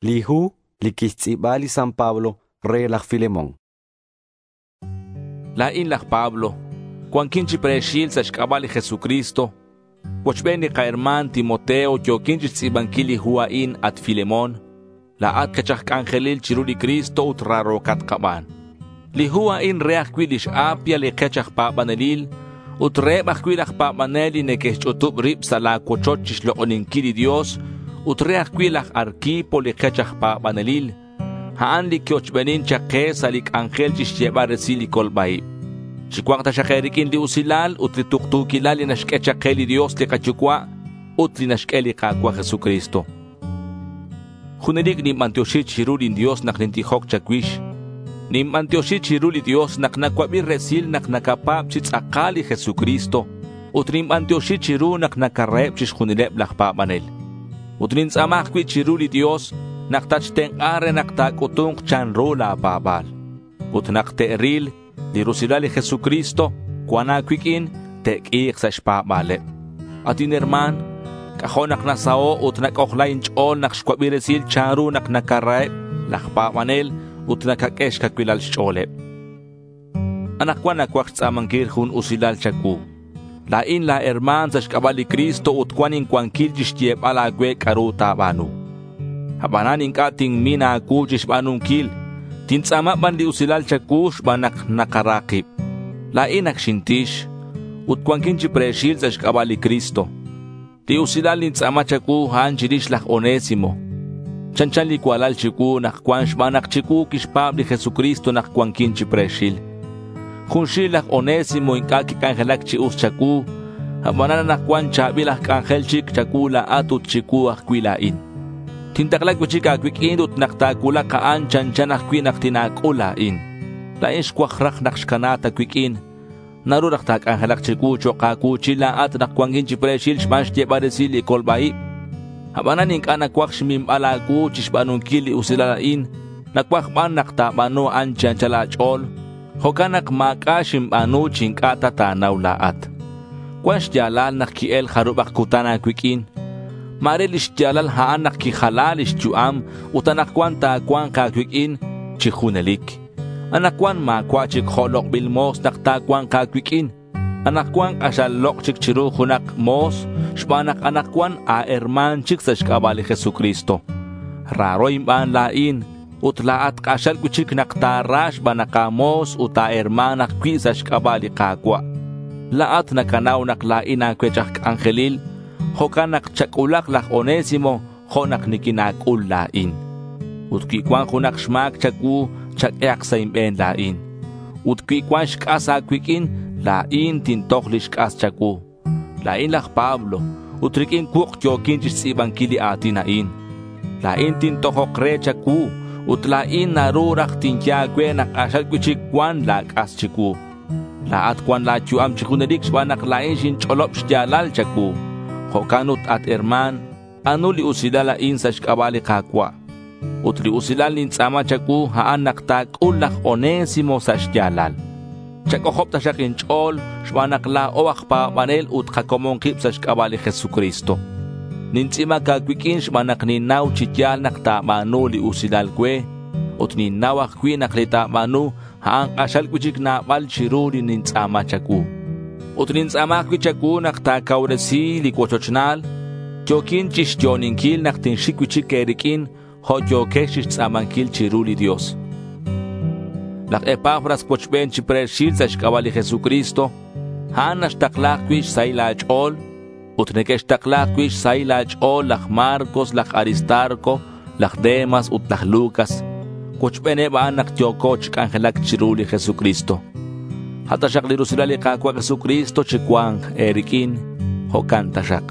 Li hu li quixtz'i̱ba li San Pablo re laj Filemón. La̱in laj Pablo. Cuanquin chi pre̱xil sa' xc'aba' li Jesucristo. Cuochben li kaherma̱n Timoteo yo̱quin chixtz'i̱banquil li hu a'in, at Filemón. La̱at kech aj c'anjelil chiru li Cristo ut raro̱cat kaban. Li hu a'in re ajcui' lix Apia li kech aj pa̱banelil ut reheb ajcui' laj pa̱banel li neque'xch'utub rib sa' la̱ cuochoch chixlok'oninquil li Dios ut re ajcui' laj Arquipo li kech aj pa̱banelil. A'an li quiochbenin chak ke sa' li c'anjel chixyebal resil li colba-ib. Chicua̱nk taxak e̱riq'uin li usilal ut li tuktu̱quilal li naxq'ue chak ke li Dios li kaYucua' ut li naxq'ue li Ka̱cua' Jesucristo. Junelic ninbantioxi chiru lin Dios nak nintijoc cha̱cuix. Ninbantioxi chiru li Dios nak nacuabi resil nak nacapa̱b chi tz'akal li Jesucristo ut ninbantioxi chiru nak nacaraheb chixjunileb laj pa̱banel. Ut nintz'a̱ma ajcui' chiru li Dios nak tatxtenk'a re nak ta̱c'utu̱nk chanru la̱ pa̱ba̱l. Ut nak te'ril li rusilal li Jesucristo cuan a̱cuiq'uin, te'q'ui̱k sa' xpa̱ba̱leb. At inherma̱n, c'ajo' nak nasaho' ut nac'ojla inch'o̱l nak xcuabi resil chanru nak nacaraheb laj pa̱banel ut nacaq'ue xcacuilal xch'o̱leb. Anakcuan nacuaj xtz'a̱manquil jun usilal cha̱cuu. La̱in la̱ herma̱n sa' xc'aba' li Cristo ut cuan incuanquil chixyebal a̱cue c'a'ru ta̱ba̱nu. Abanan inc'a' tinmin a̱cuu chixba̱nunquil. Tintz'a̱ma ban li usilal cha̱cuu xban nak nakara kib. La̱in ac xintix ut cuanquin chi pre̱xil sa' xc'aba' li Cristo. Li usilal nintz'a̱ma cha̱cuu a'an chirix laj Onésimo. Chanchan li cualal chicuu nak cuan xban nak chicuu quixpa̱b li Jesucristo nak cuanquin chi pre̱xil. Junxil laj Onésimo inc'a' quic'anjelac chi us cha̱cuu. Abanan anakcuan cha̱bil aj c'anjel chic cha̱cuu la̱at ut chicuu ajcui' la̱in. Tintakla cui'chic a̱cuiq'uin ut nak ta̱cuulak a'an chanchan ajcui' nak tina̱c'ul la̱in. La̱in xcuaj raj nak xcana ta cuiq'uin. Naru raj ta̱c'anjelak chicuu chok' a̱cuu̱chil la̱at nak cuanquin chi pre̱xil xban xyebal resil li colba-ib. Abanan inc'a' nacuaj xminbal a̱cuu chixba̱nunquil li usilal a'in. Nacuaj ban nak ta̱ba̱nu a'an chi anchal a̱ch'o̱l. Jo'can nak ma̱c'a' xinba̱nu chi inc'a' ta ta̱nau la̱at. Cuan xya̱lal nak qui-el jarubak cutan a̱cuiq'uin. Ma̱re lix ya̱lal a'an nak quijala lix yu'am ut anakcuan ta̱cua̱nk a̱cuiq'uin chi junelic. Anakcuan ma̱cua' chic jo' lok'bil mo̱s nak ta̱cua̱nk a̱cuiq'uin. Anakcuan k'axal lok' chic chiru junak mo̱s xban nak anakcuan a̱herma̱n chic sa' xc'aba' li Jesucristo. Raro inban la̱in ut la̱at k'axal cui'chic nak ta̱ra xban nak a̱mo̱s ut a̱herma̱n ajcui' sa' xc'aba' li Ka̱cua'. La̱at nacanau nak la̱in a̱cuech aj c'anjelil. Jo'can nak chac'ulak laj Onésimo jo' nak niquina̱c'ul la̱in. Ut cui cuan junak xma̱c cha̱cuu, chaq'uehak sa' inbe̱n la̱in. Ut cui cuan xc'as a̱cuiq'uin, la̱in tintoj lix c'as cha̱cuu. La̱in laj Pablo ut riq'uin cuuk yo̱quin chixtz'i̱banquil li a̱tin a'in. La̱in tintojok re cha̱cuu ut la̱in naru raj tinye a̱cue nak k'axal cui'chic cuan la̱ c'as chicuu. La̱at cuan la̱ yu'am chi junelic xban nak la̱in xinch'olob xya̱lal cha̱cuu. Jo'can ut, at herma̱n, ba'nu li usilal a'in sa' xc'aba' li Ka̱cua'. Ut li usilal nintz'a̱ma cha̱cuu, a'an nak ta̱c'ul laj Onésimo sa' xya̱lal. Chac'ojob taxak inch'o̱l xban nak la̱o aj pa̱banel ut kacomon kib sa' xc'aba' li Jesucristo. Nintz'i̱bac a̱cuiq'uin xban nak ninnau chi ya̱l nak ta̱ba̱nu li usilal cue. Ut ninnau ajcui' nak li ta̱ba̱nu, a'an k'axal cui'chic nabal chiru li nintz'a̱ma cha̱cuu. Ut nintz'a̱ma ajcui' cha̱cuu nak ta̱cauresi li cuochochnal. Yo̱quin chixyo'oninquil nak tinxic cui'chic e̱riq'uin jo' yo̱quex chixtz'a̱manquil chiru li Dios. Laj Epafras cuochben chi pre̱xil sa' xc'aba' li Jesucristo. A'an naxtakla ajcui' xsahil a̱ch'o̱l. Ut neque'xtakla ajcui' xsahil a̱ch'o̱l laj Marcos, laj Aristarco, laj Demas ut laj Lucas. Cuochbeneb a'an nak yo̱co chi c'anjelac chiru li Jesucristo. A' taxak li rusilal li Ka̱cua' Jesucristo chi cua̱nk e̱riq'uin. Jo'can taxak.